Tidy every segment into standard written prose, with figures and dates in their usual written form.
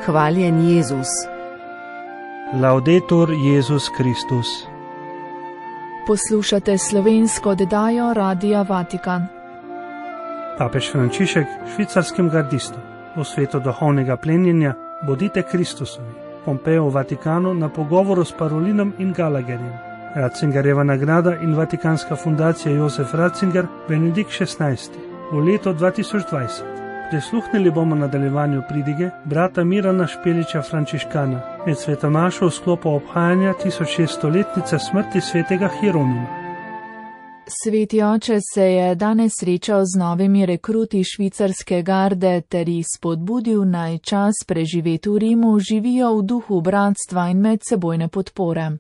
Hvaljen Jezus. Laudetur Jezus Kristus. Poslušate slovensko oddajo Radia Vatikan. Papež Frančišek švicarskim gardistom v svetu duhovnega plenjenja Bodite Kristusovi. Pompeo v Vatikanu na pogovoru s Parolinom in Gallagherjem. Ratzingerjeva nagrada in Vatikanska fundacija Josef Ratzinger, Benedikt XVI. V letu 2020. Prisluhnili bomo nadaljevanju pridige brata Mirana Špeliča Frančiškana med svetomašo v sklopu obhajanja 1600-letnice smrti svetega Hieronima. Sveti oče se je danes srečal z novimi rekruti švicarske garde ter jih spodbudil, naj čas preživet v Rimu živijo v duhu bratstva in medsebojne podpore.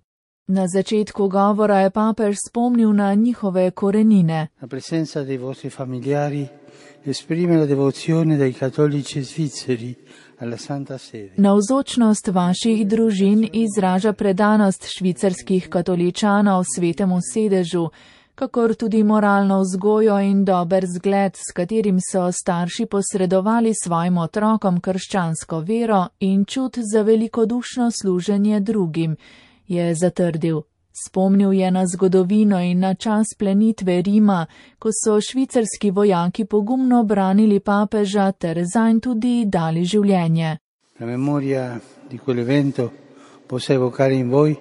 Na začetku govora je papež spomnil na njihove korenine. La presenza dei vostri familiari esprime la devozione dei cattolici svizzeri alla Santa Sede. Navzočnost vaših družin izraža predanost švicarskih katoličanov svetemu sedežu, kakor tudi moralno vzgojo in dober zgled, s katerim so starši posredovali svojim otrokom krščansko vero in čut za velikodušno služenje drugim, je zatrdil. Spomnil je na zgodovino in na čas plenitve Rima, ko so švicarski vojaki pogumno branili papeža ter zanj tudi dali življenje. La memoria di quell'evento possa evocare in voi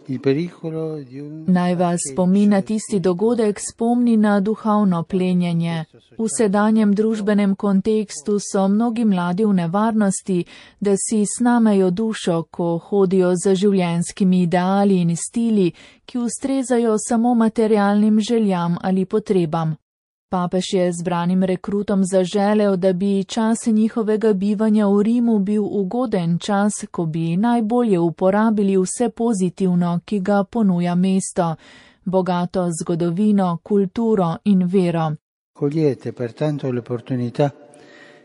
il pericolo di un... Naj vas spomin na tisti dogodek spomni na duhovno plenjenje. V sedanjem družbenem kontekstu so mnogi mladi v nevarnosti, da si snamejo dušo, ko hodijo za življenjskimi ideali in stili, ki ustrezajo samo materialnim željam ali potrebam. Papež je zbranim rekrutom zaželel, da bi čas njihovega bivanja v Rimu bil ugoden čas, ko bi najbolje uporabili vse pozitivno, ki ga ponuja mesto, bogato zgodovino, kulturo in vero. Cogliete pertanto le opportunità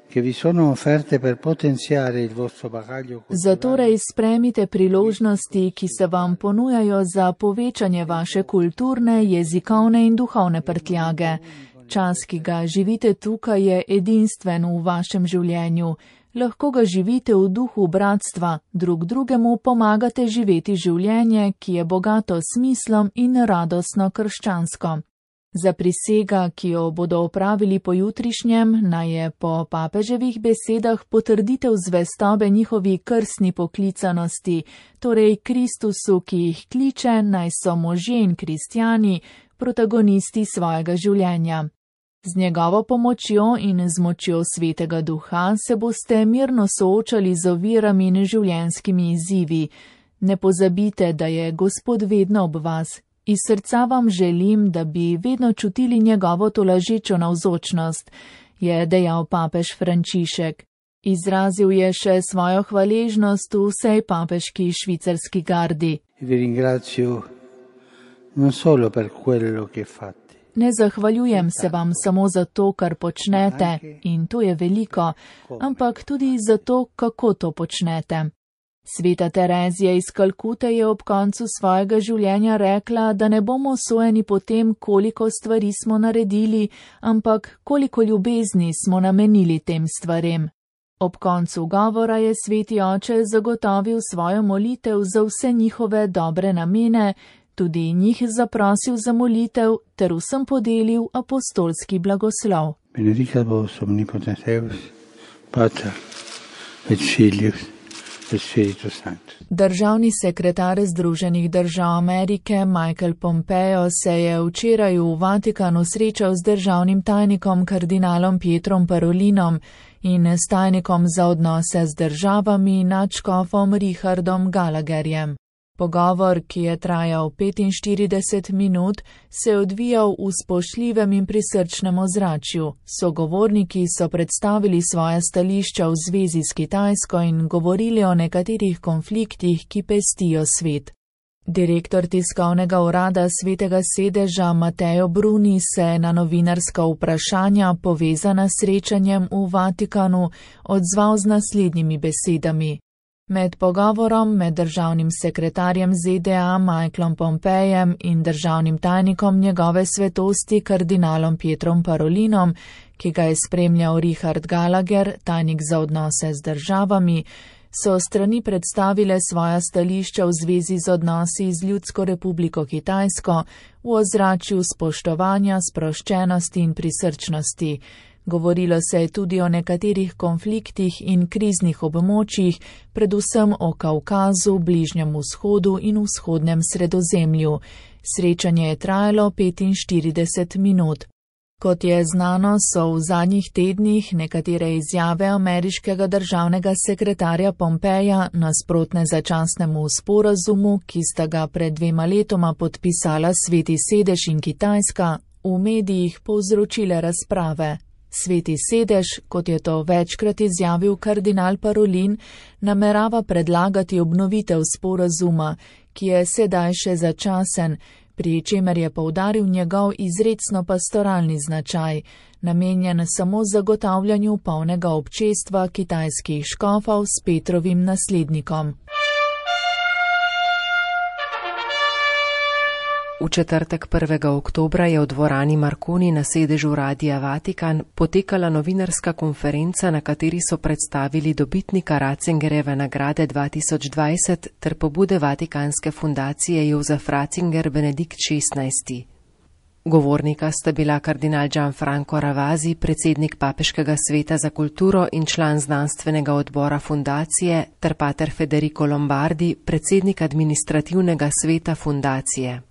che vi sono offerte per potenziare il vostro bagaglio culturale. Zatorej spremite priložnosti, ki se vam ponujajo za povečanje vaše kulturne, jezikovne in duhovne prtljage. Čas, ki ga živite tukaj, je edinstven v vašem življenju. Lahko ga živite v duhu bratstva, drug drugemu pomagate živeti življenje, ki je bogato smislom in radostno krščansko. Za prisega, ki jo bodo opravili pojutrišnjem, naj je po papeževih besedah potrditev zvestobe njihovi krstni poklicanosti, torej Kristusu, ki jih kliče, naj so možje in kristjani, protagonisti svojega življenja. Z njegovo pomočjo in z močjo Svetega Duha se boste mirno soočali z ovirami in življenjskimi izzivi. Ne pozabite, da je Gospod vedno ob vas. Iz srca vam želim, da bi vedno čutili njegovo tolažečo navzočnost, je dejal papež Frančišek. Izrazil je še svojo hvaležnost v vsej papeški švicarski gardi. Vi ringrazio non solo per quello che fate. Ne zahvaljujem se vam samo za to, kar počnete, in to je veliko, ampak tudi za to, kako to počnete. Sveta Terezija iz Kalkute je ob koncu svojega življenja rekla, da ne bomo sojeni po tem, koliko stvari smo naredili, ampak koliko ljubezni smo namenili tem stvarem. Ob koncu govora je sveti oče zagotovil svojo molitev za vse njihove dobre namene, tudi njih zaprosil za molitev ter vsem podelil apostolski blagoslov. Benedicat vos omnipotens Deus, Pater et Filius et Spiritus Sanctus. Državni sekretar Združenih držav Amerike Michael Pompeo se je včeraj v Vatikanu srečal z državnim tajnikom kardinalom Pietrom Parolinom in s tajnikom za odnose z državami nadškofom Richardom Gallagherjem. Pogovor, ki je trajal 45 minut, se je odvijal v spoštljivem in prisrčnem ozračju. Sogovorniki so predstavili svoja stališča v zvezi s Kitajsko in govorili o nekaterih konfliktih, ki pestijo svet. Direktor tiskovnega urada Svetega sedeža Matteo Bruni se je na novinarska vprašanja povezana s srečanjem v Vatikanu odzval z naslednjimi besedami. Med pogovorom med državnim sekretarjem ZDA Michaelom Pompejem in državnim tajnikom njegove svetosti kardinalom Pietrom Parolinom, ki ga je spremljal Richard Gallagher, tajnik za odnose z državami, so strani predstavile svoja stališča v zvezi z odnosi z Ljudsko republiko Kitajsko v ozračju spoštovanja, sproščenosti in prisrčnosti. Govorilo se je tudi o nekaterih konfliktih in kriznih območjih, predvsem o Kavkazu, Bližnjem vzhodu in vzhodnem Sredozemlju. Srečanje je trajalo 45 minut. Kot je znano, so v zadnjih tednih nekatere izjave ameriškega državnega sekretarja Pompeja nasprotne začasnemu sporazumu, ki sta ga pred 2 letoma podpisala Sveti sedež in Kitajska, v medijih povzročile razprave. Sveti sedež, kot je to večkrat izjavil kardinal Parolin, namerava predlagati obnovitev sporazuma, ki je sedaj še začasen, pri čemer je poudaril njegov izrecno pastoralni značaj, namenjen samo zagotavljanju polnega občestva kitajskih škofov s Petrovim naslednikom. V četrtek 1. oktobra je v dvorani Marconi na sedežu Radia Vatikan potekala novinarska konferenca, na kateri so predstavili dobitnika Ratzingerjeve nagrade 2020 ter pobude Vatikanske fundacije Josef Ratzinger Benedikt XVI. Govornika sta bila kardinal Gianfranco Ravasi, predsednik Papeškega sveta za kulturo in član znanstvenega odbora fundacije, ter pater Federico Lombardi, predsednik administrativnega sveta fundacije.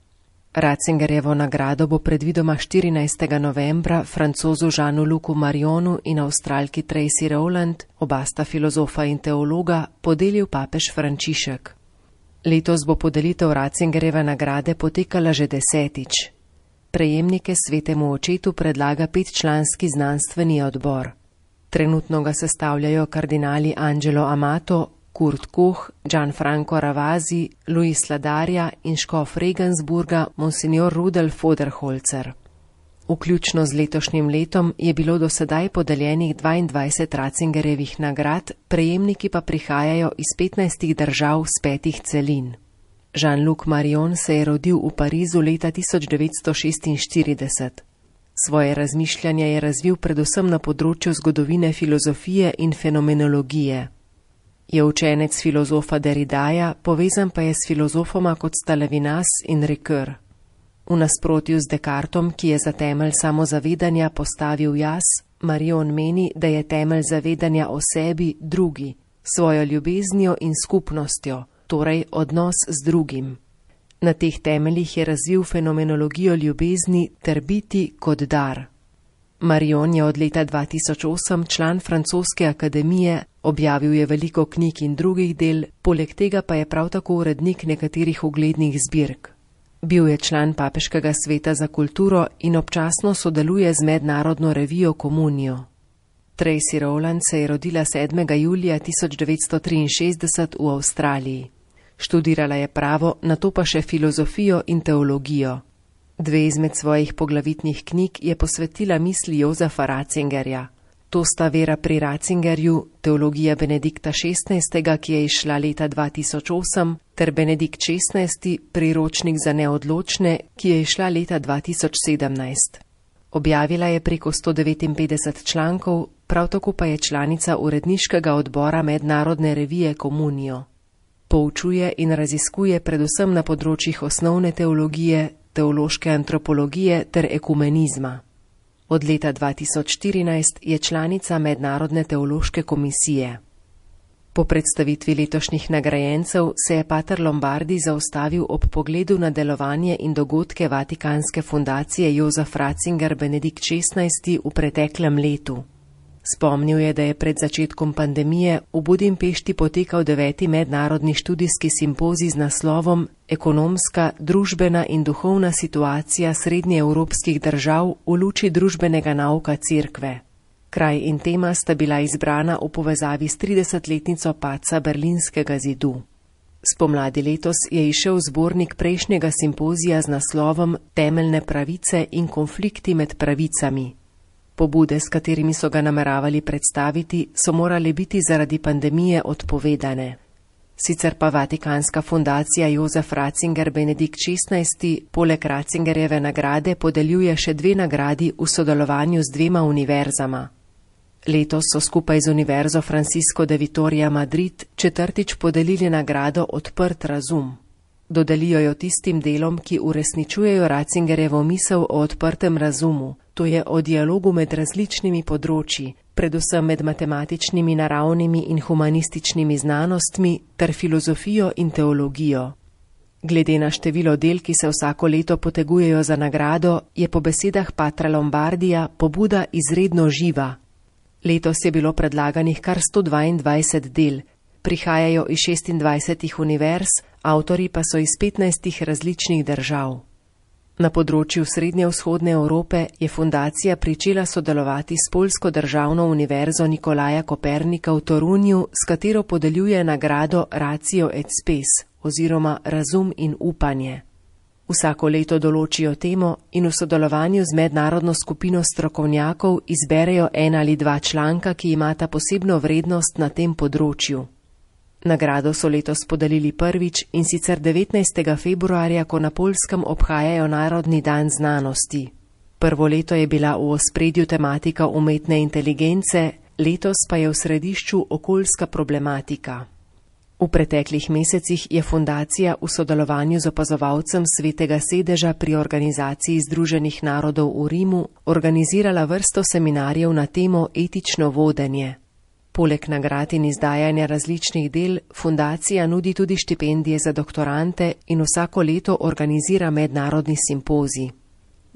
Ratzingerjevo nagrado bo predvidoma 14. novembra francozu Jeanu-Lucu Marionu in avstralki Tracy Rowland, oba sta filozofa in teologa, podelil papež Frančišek. Letos bo podelitev Ratzingerjeve nagrade potekala že 10. Prejemnike svetemu očetu predlaga 5-članski znanstveni odbor. Trenutno ga sestavljajo kardinali Angelo Amato, Kurt Koch, Gianfranco Ravasi, Luis Ladarja in škof Regensburga Monsignor Rudolf Voderholzer. Vključno z letošnjim letom je bilo do sedaj podeljenih 22 Ratzingerjevih nagrad, prejemniki pa prihajajo iz 15 držav z 5 celin. Jean-Luc Marion se je rodil v Parizu leta 1946. Svoje razmišljanje je razvil predvsem na področju zgodovine filozofije in fenomenologije. Je učenec filozofa Derridaja, povezan pa je s filozofoma kot sta Levinas in Ricoeur. V nasprotju z Descartom, ki je za temelj samozavedanja postavil jaz, Marion meni, da je temelj zavedanja o sebi drugi, svojo ljubeznijo in skupnostjo, torej odnos z drugim. Na teh temeljih je razvil fenomenologijo ljubezni ter biti kot dar. Marion je od leta 2008 član Francoske akademije, objavil je veliko knjig in drugih del, poleg tega pa je prav tako urednik nekaterih uglednih zbirk. Bil je član Papeškega sveta za kulturo in občasno sodeluje z mednarodno revijo Communio. Tracy Rowland se je rodila 7. julija 1963 v Avstraliji. Študirala je pravo, nato pa še filozofijo in teologijo. 2 izmed svojih poglavitnih knjig je posvetila misli Josefa Ratzingerja. To sta Vera pri Ratzingerju, teologija Benedikta XVI., ki je izšla leta 2008, ter Benedikt XVI., priročnik za neodločne, ki je izšla leta 2017. Objavila je preko 159 člankov, prav tako pa je članica uredniškega odbora mednarodne revije Communio. Poučuje in raziskuje predvsem na področjih osnovne teologije, teološke antropologije ter ekumenizma. Od leta 2014 je članica Mednarodne teološke komisije. Po predstavitvi letošnjih nagrajencev se je pater Lombardi zaustavil ob pogledu na delovanje in dogodke Vatikanske fundacije Josef Ratzinger Benedikt XVI. V preteklem letu. Spomnil je, da je pred začetkom pandemije v Budimpešti potekal 9. mednarodni študijski simpozij z naslovom Ekonomska, družbena in duhovna situacija srednjeevropskih držav v luči družbenega nauka Cerkve. Kraj in tema sta bila izbrana v povezavi s 30-letnico padca Berlinskega zidu. Spomladi letos je izšel zbornik prejšnjega simpozija z naslovom Temeljne pravice in konflikti med pravicami. Pobude, s katerimi so ga nameravali predstaviti, so morali biti zaradi pandemije odpovedane. Sicer pa Vatikanska fundacija Josef Ratzinger Benedikt XVI. Poleg Ratzingerjeve nagrade podeljuje še 2 nagradi v sodelovanju z 2 univerzama. Letos so skupaj z Univerzo Francisco de Vitoria Madrid četrtič podelili nagrado Odprt razum. Dodelijo jo tistim delom, ki uresničujejo Ratzingerjevo misel o odprtem razumu, to je o dialogu med različnimi področji, predvsem med matematičnimi, naravnimi in humanističnimi znanostmi ter filozofijo in teologijo. Glede na število del, ki se vsako leto potegujejo za nagrado, je po besedah patra Lombardija pobuda izredno živa. Letos je bilo predlaganih kar 122 del, prihajajo iz 26 univerz, avtorji pa so iz 15 različnih držav. Na področju srednjevzhodne Evrope je fundacija pričela sodelovati s Poljsko državno univerzo Nikolaja Kopernika v Torunju, s katero podeljuje nagrado Ratio et Spes oziroma Razum in upanje. Vsako leto določijo temo in v sodelovanju z mednarodno skupino strokovnjakov izberejo 1 ali 2 članka, ki imata posebno vrednost na tem področju. Nagrado so letos podelili prvič, in sicer 19. februarja, ko na Poljskem obhajajo Narodni dan znanosti. Prvo leto je bila v ospredju tematika umetne inteligence, letos pa je v središču okoljska problematika. V preteklih mesecih je fundacija v sodelovanju z opazovalcem Svetega sedeža pri Organizaciji Združenih narodov v Rimu organizirala vrsto seminarjev na temo etično vodenje. Poleg nagrad in izdajanja različnih del, fundacija nudi tudi štipendije za doktorante in vsako leto organizira mednarodni simpozij.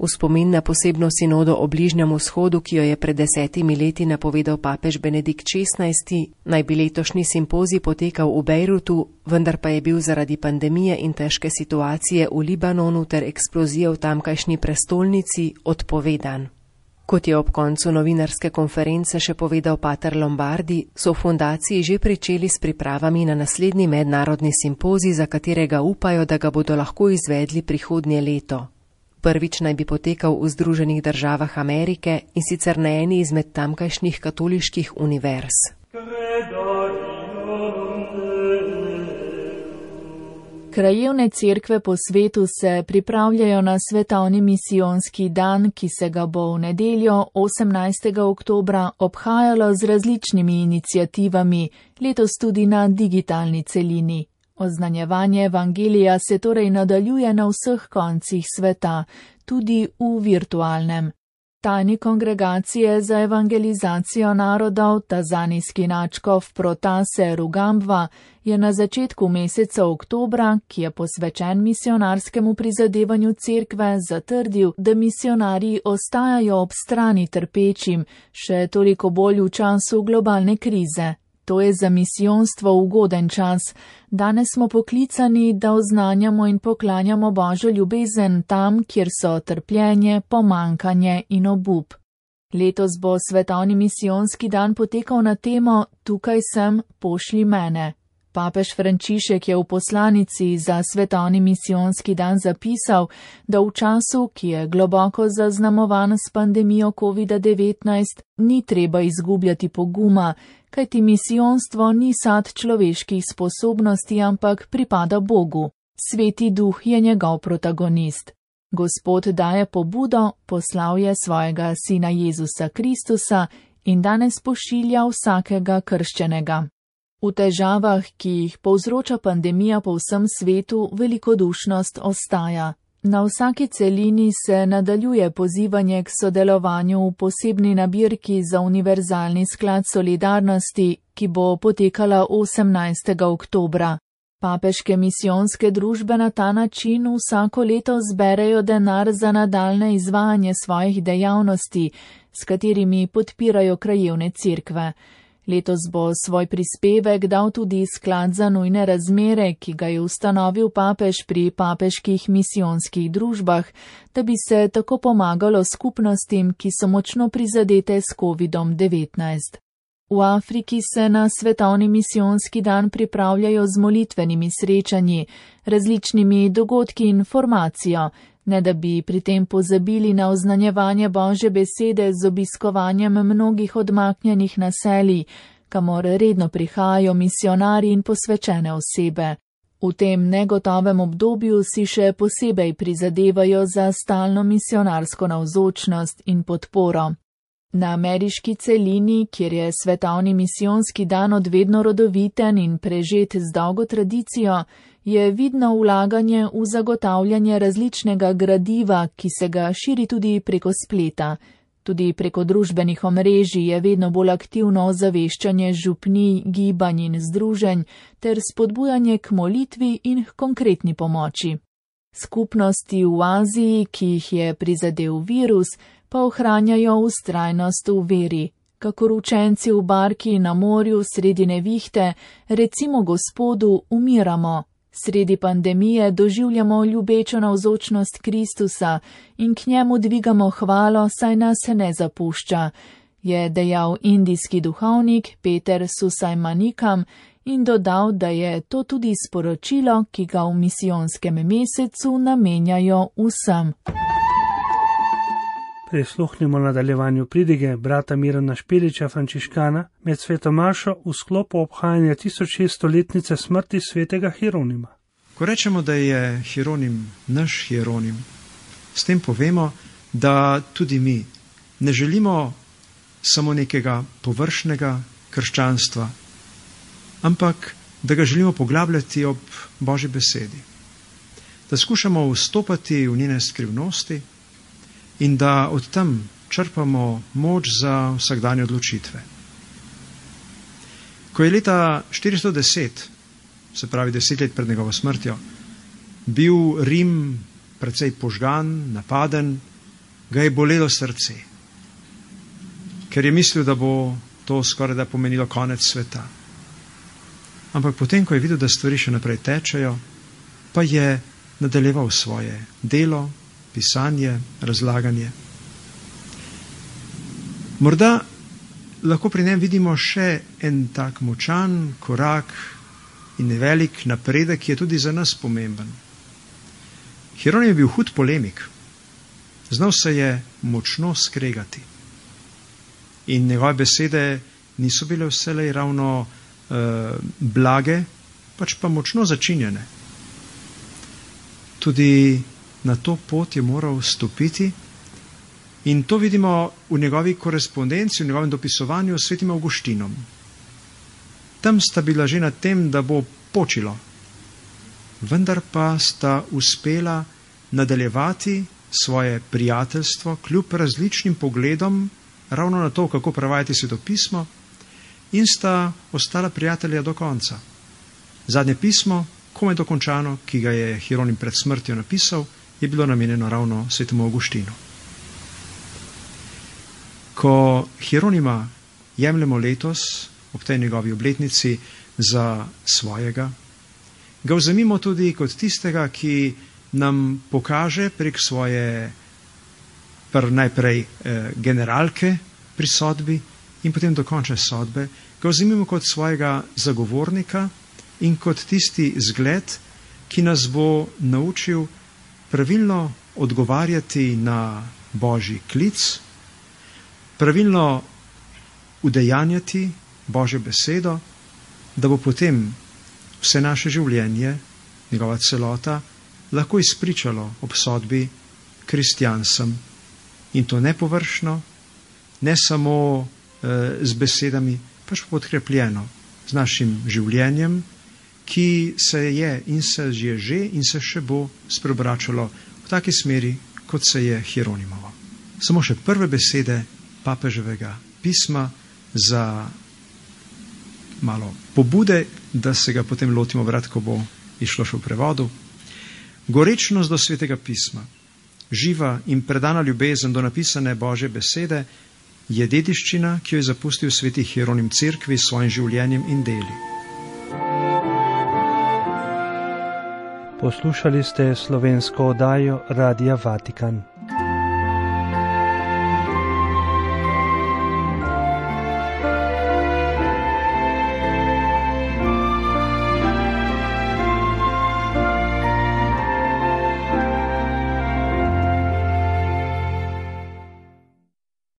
V spomin na posebno sinodo o Bližnjem vzhodu, ki jo je pred 10 leti napovedal papež Benedikt XVI, naj bi letošnji simpozij potekal v Bejrutu, vendar pa je bil zaradi pandemije in težke situacije v Libanonu ter eksplozije v tamkajšnji prestolnici odpovedan. Kot je ob koncu novinarske konference še povedal pater Lombardi, so v fundaciji že pričeli s pripravami na naslednji mednarodni simpozij, za katerega upajo, da ga bodo lahko izvedli prihodnje leto. Prvič naj bi potekal v Združenih državah Amerike, in sicer na eni izmed tamkajšnjih katoliških univerz. Krajevne cerkve po svetu se pripravljajo na svetovni misijonski dan, ki se ga bo v nedeljo 18. oktobra obhajalo z različnimi iniciativami, letos tudi na digitalni celini. Oznanjevanje evangelija se torej nadaljuje na vseh koncih sveta, tudi v virtualnem. Tajni kongregacije za evangelizacijo narodov, tanzanijski nadškof Protase Rugambwa, je na začetku meseca oktobra, ki je posvečen misionarskemu prizadevanju cerkve, zatrdil, da misionarji ostajajo ob strani trpečim, še toliko bolj v času globalne krize. To je za misijonstvo ugoden čas. Danes smo poklicani, da oznanjamo in poklanjamo Božjo ljubezen tam, kjer so trpljenje, pomankanje in obup. Letos bo svetovni misijonski dan potekal na temo Tukaj sem, pošlji mene. Papež Frančišek je v poslanici za svetovni misijonski dan zapisal, da v času, ki je globoko zaznamovan s pandemijo COVID-19, ni treba izgubljati poguma, kajti misijonstvo ni sad človeških sposobnosti, ampak pripada Bogu. Sveti Duh je njegov protagonist. Gospod daje pobudo, poslal je svojega sina Jezusa Kristusa in danes pošilja vsakega krščenega. V težavah, ki jih povzroča pandemija po vsem svetu, velikodušnost ostaja. Na vsaki celini se nadaljuje pozivanje k sodelovanju v posebni nabirki za univerzalni sklad solidarnosti, ki bo potekala 18. oktobra. Papeške misijonske družbe na ta način vsako leto zberejo denar za nadaljne izvajanje svojih dejavnosti, s katerimi podpirajo krajevne cerkve. Letos bo svoj prispevek dal tudi sklad za nujne razmere, ki ga je ustanovil papež pri papeških misijonskih družbah, da bi se tako pomagalo skupnostim, ki so močno prizadete s COVID-19. V Afriki se na svetovni misijonski dan pripravljajo z molitvenimi srečanji, različnimi dogodki in formacijo, ne da bi pri tem pozabili na oznanjevanje Božje besede z obiskovanjem mnogih odmaknjenih naselij, kamor redno prihajajo misionarji in posvečene osebe. V tem negotovem obdobju si še posebej prizadevajo za stalno misionarsko navzočnost in podporo. Na ameriški celini, kjer je svetovni misijonski dan odvedno rodoviten in prežet z dolgo tradicijo, je vidno vlaganje v zagotavljanje različnega gradiva, ki se ga širi tudi preko spleta. Tudi preko družbenih omrežij je vedno bolj aktivno ozaveščanje župnij, gibanj in združenj ter spodbujanje k molitvi in k konkretni pomoči. Skupnosti v Aziji, ki jih je prizadel virus, pa ohranjajo vztrajnost v veri, kakor učenci v barki na morju sredi nevihte, recimo Gospodu, umiramo. Sredi pandemije doživljamo ljubečo navzočnost Kristusa in k njemu dvigamo hvalo, saj nas ne zapušča, je dejal indijski duhovnik Peter Susajmanikam in dodal, da je to tudi sporočilo, ki ga v misijonskem mesecu namenjajo vsem. Prisluhnimo nadaljevanju pridige brata Mirana Špeliča, frančiškana, med sveto mašo v sklopu obhajanja 1600-letnice smrti svetega Hieronima. Ko rečemo, da je Hieronim naš Hieronim, s tem povemo, da tudi mi ne želimo samo nekega površnega krščanstva, ampak da ga želimo poglabljati ob Božji besedi, da skušamo vstopati v njene skrivnosti in da od tam črpamo moč za vsakdanje odločitve. Ko je leta 410, se pravi 10 let pred njegovo smrtjo, bil Rim precej požgan, napaden, ga je bolelo srce, ker je mislil, da bo to skoraj da pomenilo konec sveta. Ampak potem, ko je videl, da stvari še naprej tečejo, pa je nadaljeval svoje delo, pisanje, razlaganje. Morda lahko pri njem vidimo še en tak močan korak in nevelik napredek, ki je tudi za nas pomemben. Hieronim je bil hud polemik, znal se je močno skregati in njegove besede niso bile vselej ravno blage, pač pa močno začinjene. Tudi na to pot je moral stopiti in to vidimo v njegovi korespondenci, v njegovem dopisovanju s svetim Avguštinom. Tam sta bila že na tem, da bo počilo, vendar pa sta uspela nadaljevati svoje prijateljstvo kljub različnim pogledom ravno na to, kako prevajati svetopismo, in sta ostala prijatelja do konca. Zadnje pismo, komaj dokončano, ki ga je Hieronim pred smrtjo napisal, je bilo namenjeno ravno svetemu Avguštinu. Ko Hieronima jemljemo letos, ob tej njegovi obletnici, za svojega, ga vzemimo tudi kot tistega, ki nam pokaže prek svoje najprej generalke pri sodbi in potem dokončne sodbe, ga vzemimo kot svojega zagovornika in kot tisti zgled, ki nas bo naučil pravilno odgovarjati na Božji klic, pravilno udejanjati Božjo besedo, da bo potem vse naše življenje, njegova celota, lahko izpričalo ob sodbi kristjansem. In to ne površno, ne samo z besedami, pač podkrepljeno z našim življenjem, ki se je in se je že in se še bo spreobračalo v taki smeri, kot se je Hieronimovo. Samo še prve besede papeževega pisma za malo pobude, da se ga potem lotimo vrat, ko bo išlo še v prevodu. Gorečnost do svetega pisma, živa in predana ljubezen do napisane Božje besede je dediščina, ki jo je zapustil sveti Hieronim cerkvi s svojim življenjem in deli. Poslušali ste slovensko oddajo Radia Vatikan.